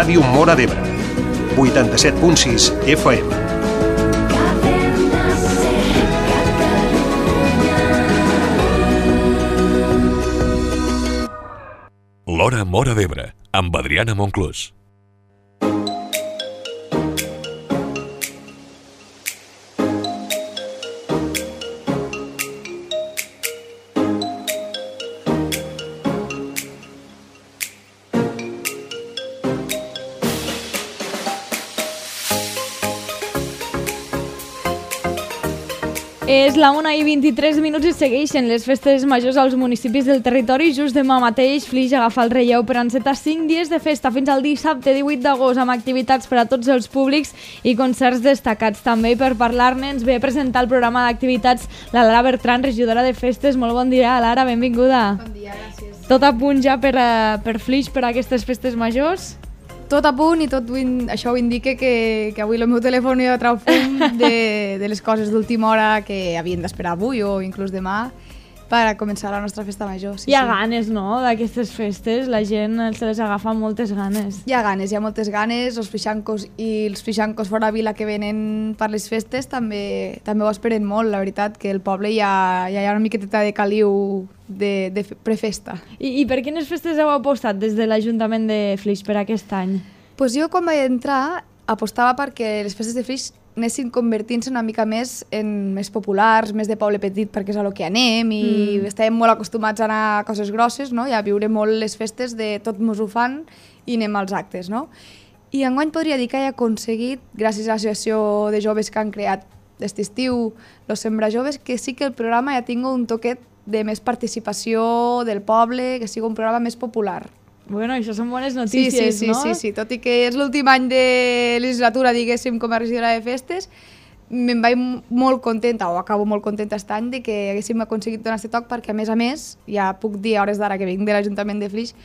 Ràdio Móra d'Ebre, 87.6 FM. L'Hora Móra d'Ebre, amb Adriana Monclús. És la 1:23 i segueixen les festes majors als municipis del territori. Just demà mateix, Flix agafa el relleu per encetar 5 dies de festa fins al dissabte 18 d'agost amb activitats per a tots els públics i concerts destacats també. Per parlar-ne ens ve a presentar el programa d'activitats la Lara Bertran, regidora de festes. Molt bon dia, Lara, benvinguda. Bon dia, gràcies. Tot a punt ja per Flix, per a aquestes festes majors? Tot a punt i tot això ho indica que avui el meu telèfon ja trau fum de les coses d'última hora que havien d'esperar avui o inclús demà per començar la nostra festa major. Sí, hi ha ganes, no?, d'aquestes festes. La gent se les agafa moltes ganes. Hi ha ganes, hi ha moltes ganes. Els flixancos i els flixancos fora vila que venen per les festes també ho esperen molt, la veritat, que el poble ja hi ha una miqueteta de caliu de prefesta. I per quines festes heu apostat des de l'Ajuntament de Flix per aquest any? Pues jo quan vaig entrar apostava perquè les festes de Flix anessin convertint-se una mica més en més populars, més de poble petit, perquè és a lo que anem i estàvem molt acostumats a anar a coses grosses, no? I a viure molt les festes de tot mos ho fan i anem als actes, no? I enguany podria dir que he aconseguit, gràcies a l'associació de joves que han creat aquest estiu, Los Sembra Joves, que sí que el programa ja tingui un toquet de més participació del poble, que sigui un programa més popular. Bueno, això són bones notícies, sí, no? Sí, tot i que és l'últim any de legislatura, diguéssim, com a regidora de festes, me'n vaig molt contenta, o acabo molt contenta aquest any, de que haguéssim aconseguit donar aquest toc, perquè a més, ja puc dir a hores d'ara que vinc de l'Ajuntament de Flix,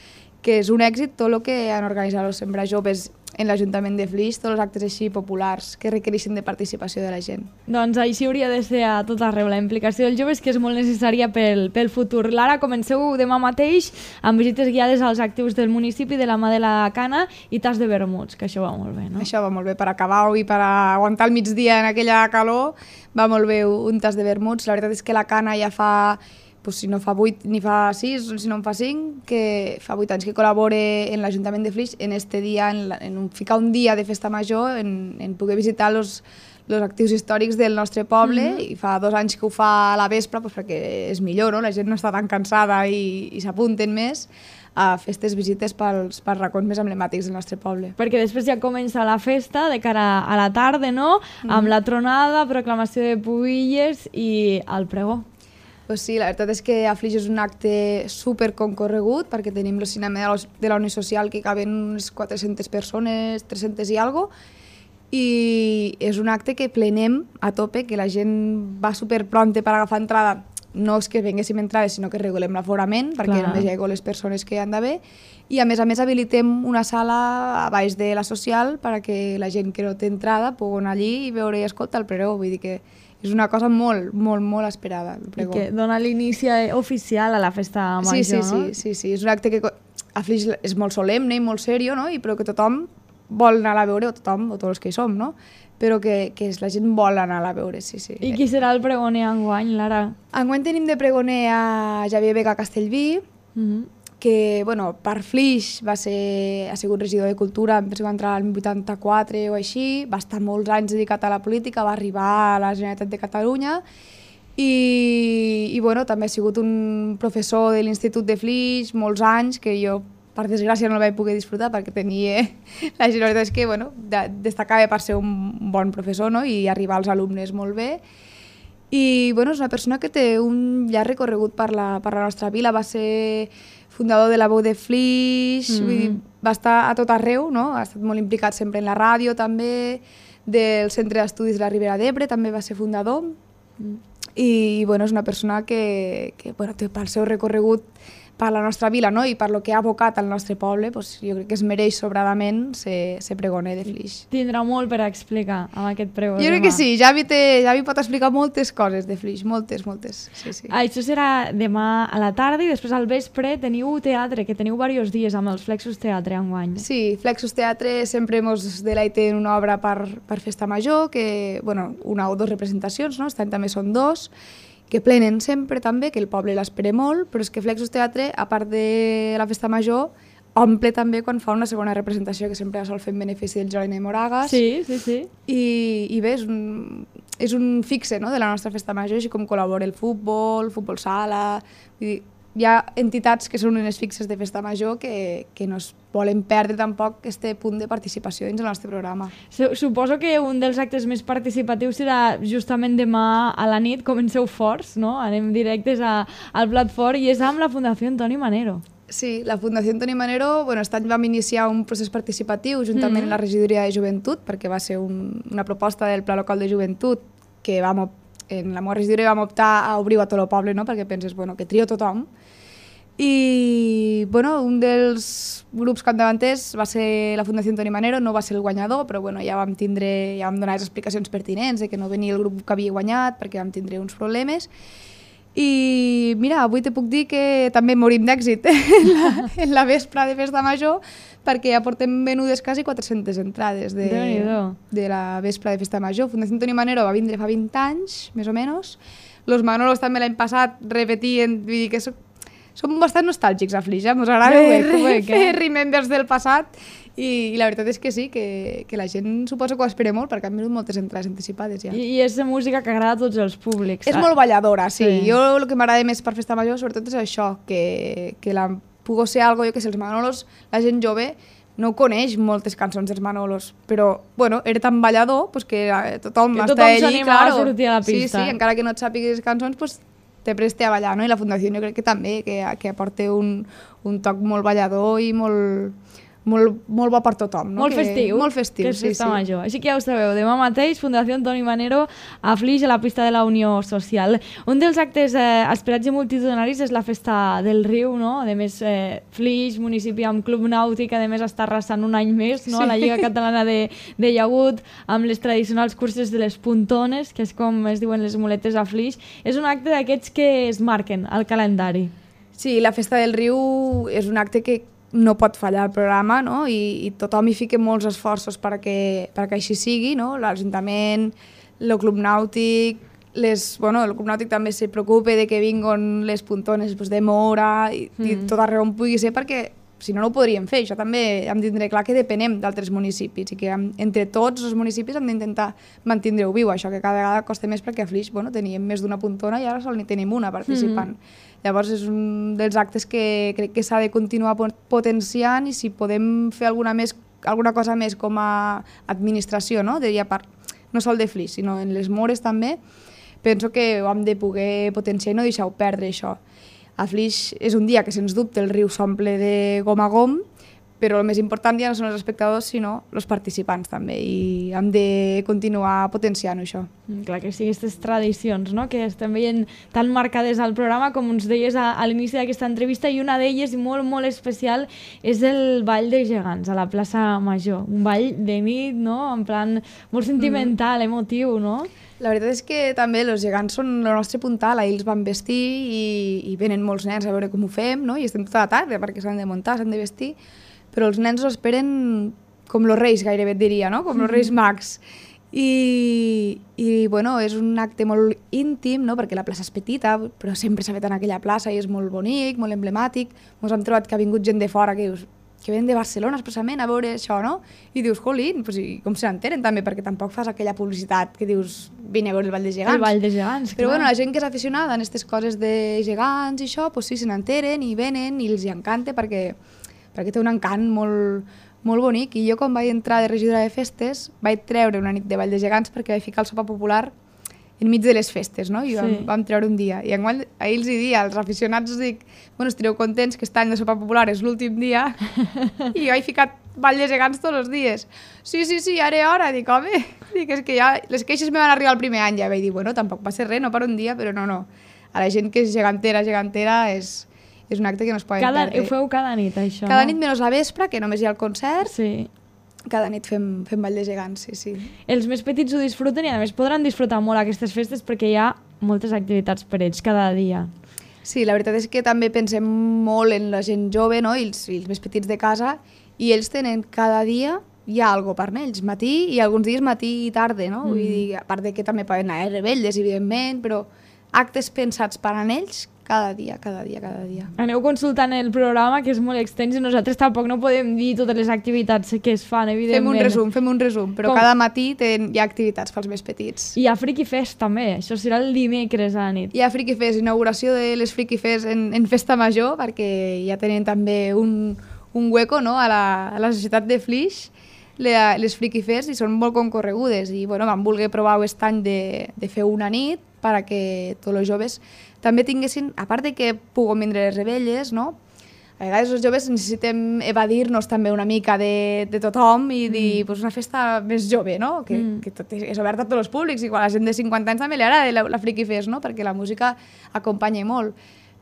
que és un èxit tot el que han organitzat els Sembra Joves en l'Ajuntament de Flix, tots els actes així populars que requereixen de participació de la gent. Doncs així hauria de ser a tot arreu, la implicació dels joves, que és molt necessària pel futur. Lara, comenceu demà mateix amb visites guiades als actius del municipi de la mà de la Cana i tas de vermuts, que això va molt bé, no? Això va molt bé per acabar-ho i per aguantar el migdia en aquella calor, va molt bé un tas de vermuts. La veritat és que la Cana ja fa... si no fa 8 ni fa 6, si no en fa 5, que fa 8 anys que col·labore en l'Ajuntament de Flix en este dia, ficar un dia de festa major, en poder visitar els actius històrics del nostre poble, i fa 2 anys que ho fa a la vespre perquè és millor, no? La gent no està tan cansada i s'apunten més a fer aquestes visites pels racons més emblemàtics del nostre poble. Perquè després ja comença la festa de cara a la tarda, no? Amb la tronada, proclamació de pubilles i el pregó. Pues sí, la veritat és que a Flix és un acte super concorregut perquè tenim el cinema de la Unió Social que caben unes 400 persones, 300 i alguna cosa, i és un acte que plenem a tope, que la gent va super pronta per agafar entrada. No és que venguéssim entrades, sinó que regulem l'aforament perquè només hi ha les persones que hi han d'haver, i a més habilitem una sala a baix de la social perquè la gent que no té entrada pugui anar allí i veure i escoltar el pregó. Vull dir que és una cosa molt, molt, molt esperada, el pregó. I que dona l'inici oficial a la festa major, no? Sí, és un acte que a Flix és molt solemne i molt serio, no? Però que tothom vol anar a veure, o tothom, o tots els que hi som, no? Però que la gent vol anar a veure, sí. I qui serà el pregoner enguany, Lara? Enguany tenim de pregoner a Javier Vega Castellví, que, per Flix ha sigut regidor de Cultura, penso que va entrar al 84 o així, va estar molts anys dedicat a la política, va arribar a la Generalitat de Catalunya i també ha sigut un professor de l'Institut de Flix molts anys, que jo per desgràcia no el vaig poder disfrutar perquè tenia... La veritat és que destacava per ser un bon professor, no? I arribar als alumnes molt bé. I és una persona que té un llarg recorregut per la nostra vila, va ser fundador de la Veu de Flix, va estar a tot arreu, no? Ha estat molt implicat sempre en la ràdio també, del Centre d'Estudis de la Ribera d'Ebre també va ser fundador, i és una persona que pel seu recorregut per la nostra vila, no? I per lo que ha abocat al nostre poble, pues, jo crec que es mereix sobradament ser pregoner de Flix. Tindrà molt per explicar amb aquest pregó. Jo crec que sí, Javi pot explicar moltes coses de Flix, moltes. Sí, sí. Això serà demà a la tarda i després al vespre teniu teatre, que teniu diversos dies amb els Flexus Teatre enguany. Sí, Flexus Teatre sempre ens deleiten una obra per Festa Major, que, bueno, una o dues representacions, no? Aquest any també són dos, que plenen sempre també, que el poble l'espera molt, però és que Flexus Teatre, a part de la Festa Major, omple també quan fa una segona representació, que sempre sol fer en benefici del Jolene Moragas. Sí. I bé, és un fixe, no?, de la nostra Festa Major, així com col·labora el futbol sala... Vull dir, hi ha entitats que són unes fixes de Festa Major que no es volen perdre tampoc aquest punt de participació dins el nostre programa. Suposo que un dels actes més participatius serà justament demà a la nit, comenceu forts, no? Anem directes al plat fort i és amb la Fundació Antoni Manero. Sí, la Fundació Antoni Manero, bueno, aquest any vam iniciar un procés participatiu juntament amb la regidoria de joventut, perquè va ser una proposta del Pla Local de Joventut que en la meva regidoria vam optar a obrir-ho a tot el poble, no? Perquè penses, bueno, que trio tothom. I, bueno, un dels grups capdavanters va ser la Fundació Antoni Manero, no va ser el guanyador, però bueno, ja vam donar les explicacions pertinents de que no venia el grup que havia guanyat perquè vam tindre uns problemes. I mira, avui te puc dir que també morim d'èxit en la vespra de Festa Major, perquè ja portem venudes quasi 400 entrades de la vespra de Festa Major. Fundació Antoni Manero va vindre fa 20 anys, més o menys. Los Manolos també l'any passat repetien, vull dir que som bastant nostàlgics a Flix, ens agrada fer remembers del passat i la veritat és que sí, que la gent suposo que ho espera molt perquè han venut moltes entrades anticipades ja. I és música que agrada a tots els públics. És molt balladora, sí. Jo el que m'agrada més per Festa Major sobretot és això, que pugui ser algo, jo que sé, els Manolos, la gent jove no coneix moltes cançons dels Manolos, però bueno, era tan ballador pues, que tothom està allí, s'anima a sortir a la pista. Sí, encara que no et sàpigues cançons, pues, te preste a ballar, no? I la Fundació jo crec que també, que aporta un toc molt ballador i molt bo per tothom. No? Molt festiu. Molt festiu, que és Festa Major. Així que ja ho sabeu, demà mateix, Fundació Antoni Manero a Flix, a la pista de la Unió Social. Un dels actes esperats i multitudinaris és la Festa del Riu, no? A més, Flix, municipi amb Club Nàutic, a més està arrasant un any més, no? A la Lliga Catalana de Llagut, amb les tradicionals curses de les puntones, que és com es diuen les muletes a Flix. És un acte d'aquests que es marquen al calendari. Sí, la Festa del Riu és un acte que no pot fallar el programa, no? I tothom hi fica molts esforços perquè així sigui, no? L'Ajuntament, el Club Nàutic, el Club Nàutic també se preocupa de que vinguin les puntones de Mora i tot arreu on pugui ser perquè si no, no ho podríem fer. Això també hem de tindre clar que depenem d'altres municipis i que entre tots els municipis hem d'intentar mantenir-ho viu. Això que cada vegada costa més perquè a Flix teníem més d'una puntona i ara sol n'hi tenim una participant. Llavors és un dels actes que crec que s'ha de continuar potenciant i si podem fer alguna cosa més com a administració, no? No sol de Flix, sinó en les Mores també, penso que ho hem de poder potenciar i no deixar-ho perdre això. A Flix és un dia que, sens dubte, el riu s'omple de gom a gom, però el més important ja no són els espectadors, sinó els participants també, i hem de continuar potenciant això. Clar que sí, aquestes tradicions, no?, que estem veient tan marcades al programa, com ens deies a l'inici d'aquesta entrevista, i una d'elles, molt, molt especial, és el Ball de Gegants, a la plaça Major. Un ball de nit, no?, en plan molt sentimental, emotiu, no? La veritat és que també els gegants són el nostre puntal, ahir els van vestir i venen molts nens a veure com ho fem, no? I estem tota la tarda perquè s'han de muntar, s'han de vestir, però els nens ho esperen com els reis, gairebé et diria, no? Com els reis mags. I bueno, és un acte molt íntim, no? Perquè la plaça és petita, però sempre s'ha fet en aquella plaça i és molt bonic, molt emblemàtic. Ens hem trobat que ha vingut gent de fora que dius que ven de Barcelona expressament a veure això, no? I dius, jolín, pues, com se n'enteren també, perquè tampoc fas aquella publicitat que dius, vine a veure el Ball de Gegants. El Ball de Gegants, però bueno, la gent que és aficionada en aquestes coses de gegants i això, pues sí, se n'enteren i venen i els hi encanta perquè té un encant molt bonic. I jo quan vaig entrar de regidora de festes vaig treure una nit de Ball de Gegants perquè vaig ficar el sopar popular enmig de les festes, no? I vam treure un dia. I ahir els dia als aficionats dic, bueno, estareu contents que aquest any de sopar popular és l'últim dia i jo he ficat Ball de Gegants tots els dies. Sí, ara és hora. Dic, home, és que ja les queixes me van arribar el primer any. Ja vaig dir, bueno, tampoc va ser res, no per un dia, però no. A la gent que és gegantera és És un acte que no es poden Ho perdre. feu cada nit, això, Cada no? nit menys la vespre, que només hi ha el concert, Sí. cada nit fem ball de gegants, sí. Els més petits ho disfruten i a més podran disfrutar molt aquestes festes perquè hi ha moltes activitats per ells cada dia. Sí, la veritat és que també pensem molt en la gent jove, no? I els més petits de casa, i ells tenen cada dia hi ha alguna per ells, matí i alguns dies matí i tarda, no? Vull dir, a part de que també poden anar a rebelles, evidentment, però actes pensats per a ells cada dia. Aneu consultant el programa, que és molt extens, i nosaltres tampoc no podem dir totes les activitats que es fan, evidentment. Fem un resum, però cada matí hi ha activitats pels més petits. I hi ha Friki Fest, també. Això serà el dimecres a la nit. Hi ha Friki Fest, inauguració de les Friki Fest en Festa Major, perquè ja tenen també un hueco, no?, a la societat de Flix, les Friki Fest, i són molt concorregudes. I bueno, vam voler provar aquest any de fer una nit perquè tots els joves també tinguessin, a part de que puguin vindre les rebelles, no? A vegades els joves necessitem evadir-nos també una mica de tothom i dir, pues una festa més jove, no? Que tot és oberta a tots els públics, i quan a la gent de 50 anys també li agrada la Friki Fest, no? Perquè la música acompanya molt.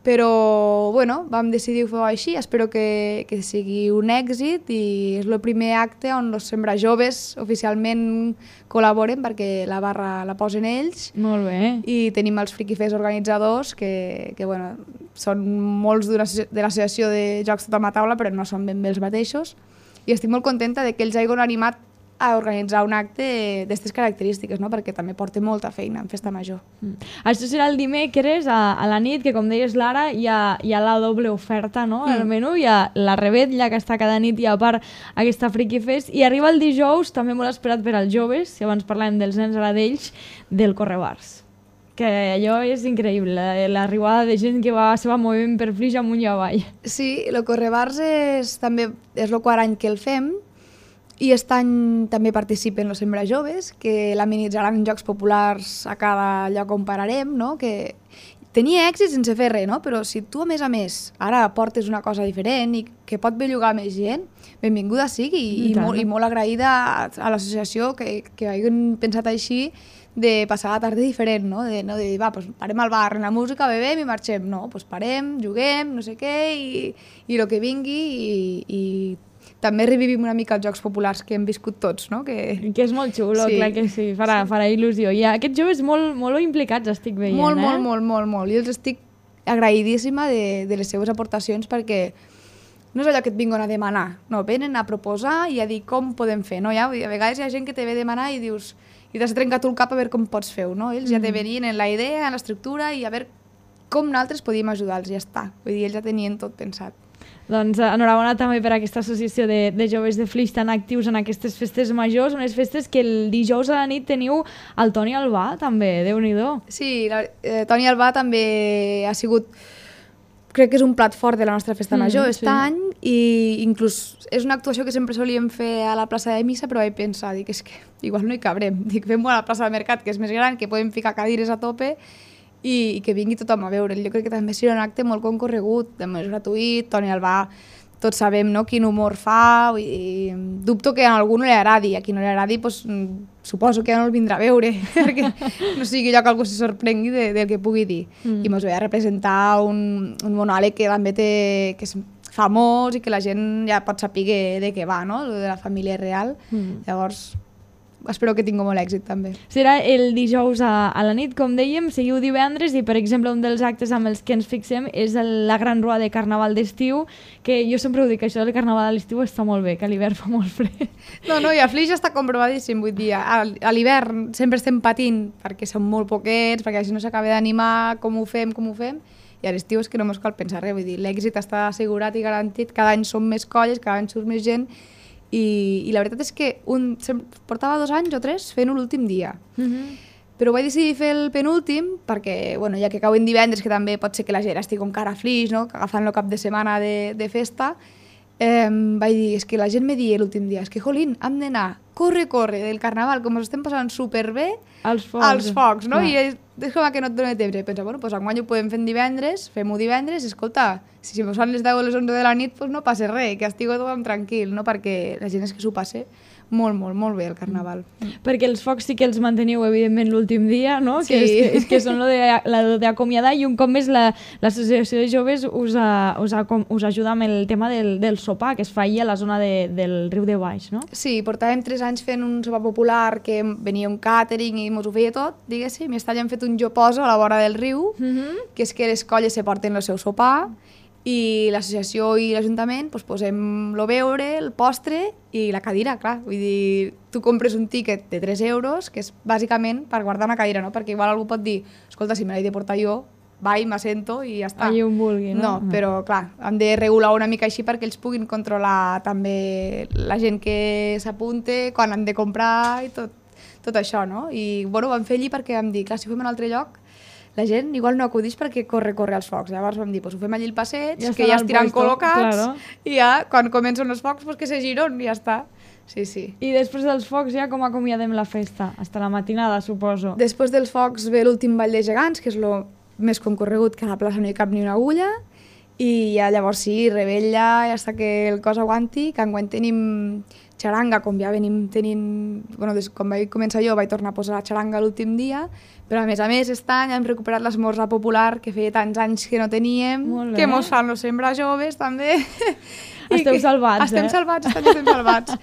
Però, bueno, vam decidir fer-ho així, espero que sigui un èxit, i és el primer acte on els Sembra Joves oficialment col·laboren, perquè la barra la posen ells. Molt bé. I tenim els Friki Fest organitzadors, que bueno, són molts de l'associació de Jocs Tothom a Taula, però no són ben bé els mateixos. I estic molt contenta de que ells hagin animat a organitzar un acte d'aquestes característiques, no? Perquè també porta molta feina en Festa Major. Això serà el dimecres a la nit, que com deies Lara, hi ha la doble oferta, no?, al menú. Hi ha la rebetlla, que està cada nit, i a part aquesta Friki Fest, i arriba el dijous, també molt esperat per als joves, si abans parlàvem dels nens, ara d'ells, del Correbars. Que allò és increïble, l'arribada de gent que se va movent per Flix amunt i avall. Sí, el Correbars també és el quart any que el fem, i aquest any també participen els Sembra Joves, que l'amenitzaran en jocs populars a cada lloc on pararem, no? Que tenia èxit sense fer res, no? Però si tu, a més, ara portes una cosa diferent i que pot bellugar més gent, benvinguda sigui, i molt agraïda a l'associació que hagin pensat així, de passar la tarda diferent, no? De dir, va, pues parem al bar, en la música, bebem i marxem. No, pues parem, juguem, no sé què, i el que vingui, i també revivim una mica els jocs populars que hem viscut tots, no? Que és molt xulo, clar que sí, farà il·lusió. I aquests joves molt implicats estic veient, molt. I els estic agraïdíssima de les seves aportacions, perquè no és allò que et vinguin a demanar, no, venen a proposar i a dir com podem fer, no? A vegades hi ha gent que te ve a demanar i dius, i t'has trencat el cap a veure com pots fer-ho, no? Ells ja te venien en la idea, en l'estructura, i a veure com nosaltres podíem ajudar-los, ja està. Vull dir, ells ja tenien tot pensat. Doncs enhorabona també per aquesta associació de joves de Flix tan actius en aquestes festes majors, unes festes que el dijous a la nit teniu el Toni Albà, també, Déu-n'hi-do. Sí, Toni Albà també ha sigut, crec que és un plat fort de la nostra festa major aquest any, i inclús és una actuació que sempre solíem fer a la plaça de Missa, però vaig pensar, és que igual no hi cabrem, fem-ho a la plaça de Mercat, que és més gran, que podem ficar cadires a tope, i que vingui tothom a veure'l. Jo crec que també serà un acte molt concorregut, també és gratuït, Toni Albà, tots sabem, no?, quin humor fa, i dubto que a algú no li agradi, a qui no li agradi suposo que ja no el vindrà a veure, perquè no sigui allò que algú se sorprengui del que pugui dir. I mos ve a representar un monòleg que també que és famós i que la gent ja pot saber de què va, no?, de la família real. Llavors, espero que tingui molt èxit també. Serà el dijous a la nit, com dèiem, seguiu divendres, i per exemple un dels actes amb els que ens fixem és la gran rua de Carnaval d'estiu, que jo sempre ho dic, això del Carnaval a l'estiu està molt bé, que a l'hivern fa molt fred. No, i a Flix està comprovadíssim, vull dir, a l'hivern sempre estem patint perquè són molt poquets, perquè així no s'acaba d'animar, com ho fem, i a l'estiu és que no mos cal pensar res, vull dir, l'èxit està assegurat i garantit, cada any som més colles, cada any surt més gent, i la veritat és que portava 2 anys o 3 fent-ho l'últim dia. Però vaig decidir fer el penúltim perquè, bueno, ja que cauen divendres, que també pot ser que la gent estigui encara a Flix, no?, agafant el cap de setmana de festa, vaig dir, és que la gent me dia l'últim dia, és que, jolín, hem d'anar, corre, del Carnaval, com ens estem passant superbé, als focs, no? I és com que no et dona temps. I penso, bueno, doncs enguany ho podem fer divendres, fem-ho divendres, i escolta, si mos fan les 10 o les 11 de la nit, doncs no passa res, que estigui tothom tranquil, no? Perquè la gent és que s'ho passa molt bé el Carnaval. Perquè els focs sí que els manteniu, evidentment, l'últim dia, no? Sí. Que és que són lo d'acomiadar, i un cop més l'Associació de Joves us ajuda amb el tema del sopar, que es fa ahir a la zona del Riu de Baix, no? Sí, portàvem 3 anys fent un sopar popular que venia un càtering i mos ho feia tot, diguéssim, i aquest any hem fet un jo poso a la vora del riu, que és que les colles se porten el seu sopar, i l'associació i l'Ajuntament posem el beure, el postre i la cadira, clar. Vull dir, tu compres un tíquet de 3 euros, que és bàsicament per guardar una cadira, no? Perquè igual algú pot dir, escolta, si me l'he de portar jo, vaig, m'assento i ja està. Allí on vulgui, no? No, però clar, hem de regular una mica així perquè ells puguin controlar també la gent que s'apunte, quan han de comprar i tot això, no? I bueno, ho vam fer allí perquè vam dir, clar, si ho fem en un altre lloc, la gent igual no acudix perquè corre als focs. Llavors vam dir, ho fem allí al passeig, que ja estiran col·locats, claro. I ja, quan comencen els focs, que se giren i ja està. Sí. I després dels focs ja com acomiadem la festa? Hasta la matinada, suposo. Després dels focs ve l'últim ball de gegants, que és el més concorregut, que a la plaça no hi cap ni una agulla, i ja llavors sí, rebella, ja està que el cos aguanti, que enguany tenim xaranga, com ja venim tenint... Bueno, quan vaig començar jo vaig tornar a posar la xaranga l'últim dia, però a més, aquest any hem recuperat l'esmorzar popular, que feia tants anys que no teníem, que mos fan los sembra joves també. Esteu salvats, estem salvats.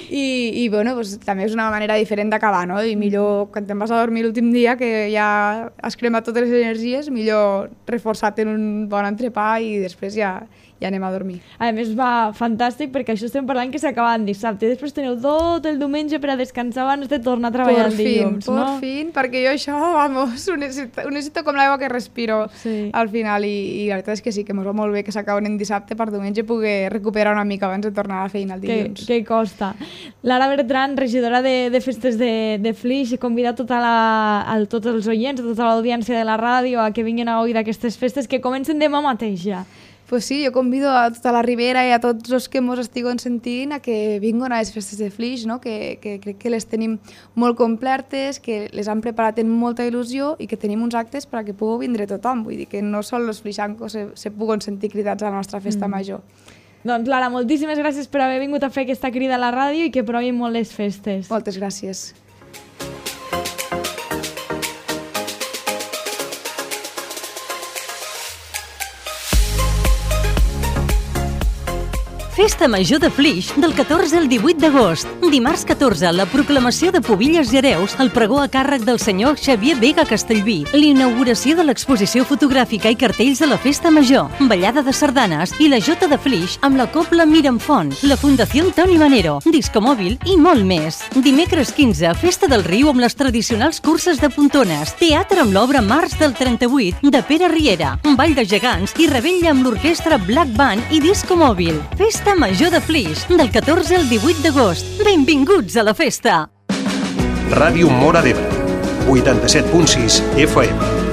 I bueno, també és una manera diferent d'acabar, no? I millor, quan te'n vas a dormir l'últim dia, que ja has cremat totes les energies, millor reforçar-te en un bon entrepà i després ja anem a dormir. A més, va fantàstic, perquè això estem parlant que s'acaba en dissabte, i després teniu tot el diumenge per a descansar abans de tornar a treballar el dilluns, no? Por fin, perquè jo això, vamos, ho necessito com l'aigua que respiro al final, i la veritat és que sí, que m'ho va molt bé que s'acaben en dissabte per diumenge poder recuperar una mica abans de tornar a la feina el dilluns. Que costa. Lara Bertran, regidora de festes de Flix, convida tots els oients, tota l'audiència de la ràdio a que vinguin a gaudir d'aquestes festes que comencen demà mateix ja. Pues sí, jo convido a tota la Ribera i a tots els que mos estiguen sentint a que vinguin a les festes de Flix, no? Que crec que les tenim molt completes, que les han preparat amb molta il·lusió i que tenim uns actes per a que pugui vindre tothom. Vull dir que no sols els flixancos se puguen sentir cridats a la nostra festa major. Doncs Lara, moltíssimes gràcies per haver vingut a fer aquesta crida a la ràdio i que provin molt les festes. Moltes gràcies. Festa Major de Flix del 14 al 18 d'agost. Dimarts 14, la proclamació de Pubilles i Hereus, el pregó a càrrec del senyor Xavier Vega Castellví, l'inauguració de l'exposició fotogràfica i cartells de la Festa Major, ballada de sardanes i la Jota de Flix amb la Cobla Miramfont, la Fundació Toni Manero, discomòbil i molt més. Dimecres 15, Festa del Riu amb les tradicionals curses de pontones, teatre amb l'obra Març del 38 de Pere Riera, ball de gegants i rebella amb l'orquestra Black Band i discomòbil. Festa Major de Flix, del 14 al 18 d'agost. Benvinguts a la festa! Ràdio Móra d'Ebre, 87.6 FM.